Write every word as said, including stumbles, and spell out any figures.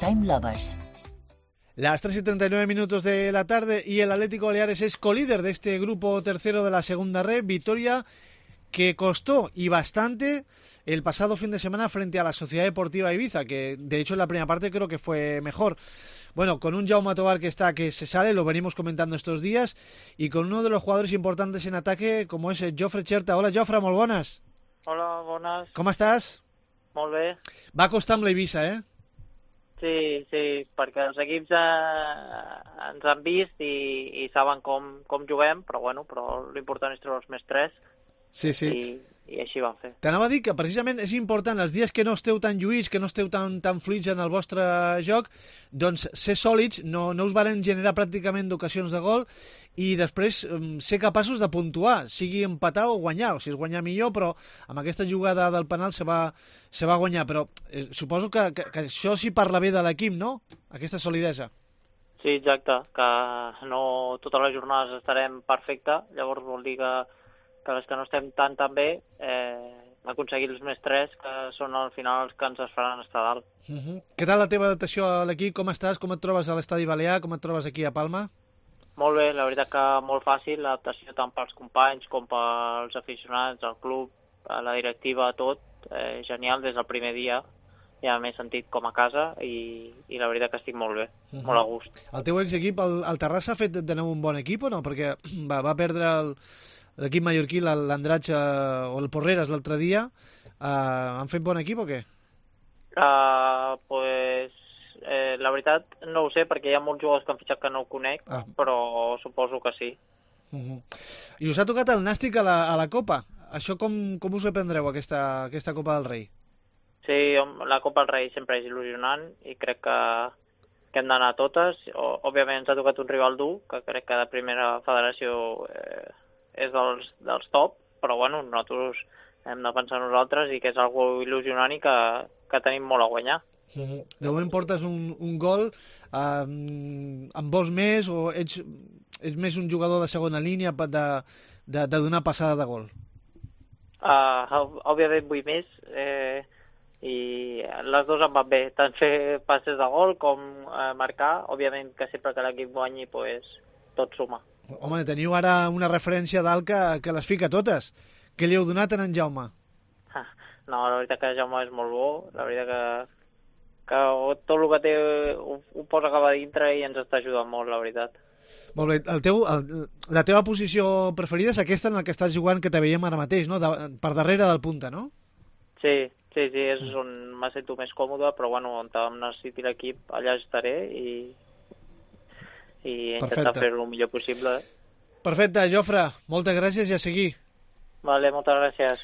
Time Lovers. Las tres y treinta y nueve minutos de la tarde y el Atlético Baleares es colíder de este grupo tercero de la segunda red. Victoria que costó y bastante el pasado fin de semana frente a la Sociedad Deportiva Ibiza, que de hecho en la primera parte creo que fue mejor. Bueno, con un Jaume Tobar que está, que se sale, lo venimos comentando estos días, y con uno de los jugadores importantes en ataque como es Jofre Cherta. Hola Jofre, molt bones. Hola, bones. Com estàs? Molt bé. Va costar amb l'Eivissa, eh? Sí, sí, perquè els equips eh, ens han vist i, i saben com, com juguem, però bueno, però l'important és treure els més tres. Sí, sí. I, i així van fer. T'anava a dir que precisament és important els dies que no esteu tan lluïts, que no esteu tan, tan fluids en el vostre joc, doncs ser sòlids, no, no us varen generar pràcticament d'ocasions de gol i després um, ser capaços de puntuar, sigui empatar o guanyar, o si és guanyar millor, però amb aquesta jugada del penal se va, se va guanyar, però eh, suposo que, que, que això sí parla bé de l'equip, no? Aquesta solidesa. Sí, exacte, que no totes les jornades estarem perfecte, llavors vol dir que que les que no estem tan tan bé, eh, aconseguir els més tres, que són al final els que ens es faran estar dalt. Uh -huh. Què tal la teva adaptació a l'equip? Com estàs? Com et trobes a l'estadi balear? Com et trobes aquí a Palma? Molt bé, la veritat que molt fàcil, l'adaptació tant pels companys com pels aficionats, al club, a la directiva, tot, eh, genial des del primer dia. Ja m'he sentit com a casa i, i la veritat que estic molt bé, uh -huh. molt a gust. El teu exequip, el, el Terrassa, ha fet de nou un bon equip o no? Perquè va, va perdre el l'equip mallorquí, l'Andratx o el Porreres l'altre dia. Uh, han fet bon equip o què? Uh, pues, eh, la veritat no ho sé, perquè hi ha molts jugadors que han fitxat que no ho conec, ah. però suposo que sí. Uh -huh. I us ha tocat el Nàstic a la, a la Copa. Això com, com us ho prendreu, aquesta, aquesta Copa del Rei? Sí, la Copa del Rei sempre és il·lusionant i crec que, que hem d'anar a totes. O, òbviament ens ha tocat un rival dur, que crec que de primera federació eh, és dels, dels top, però bueno, nosaltres hem de pensar nosaltres i que és algo il·lusionant i que, que tenim molt a guanyar. Uh -huh. De moment portes un, un gol, eh, en vols més o ets, ets més un jugador de segona línia de, de, de donar passada de gol? Uh, òbviament vull més eh, i les dues em van bé, tant fer passes de gol com eh, marcar. Òbviament que sempre que l'equip guanyi pues, tot suma. Home, teniu ara una referència dalt que, que les fica totes. Què li heu donat a en Jaume? No, la veritat que Jaume és molt bo, la veritat que, que tot el que té ho, ho posa cap a dintre i ens està ajudant molt, la veritat. Molt bé, el teu, el, la teva posició preferida és aquesta en la que estàs jugant, que te veiem ara mateix, no? De, per darrere del punta, no? Sí, sí, sí, és mm. on me sento més còmode, però bueno, on em necessiti l'equip, allà estaré i... i intentar fer-ho el millor possible. Perfecte, Jofre, moltes gràcies i a seguir. Vale, moltes gràcies.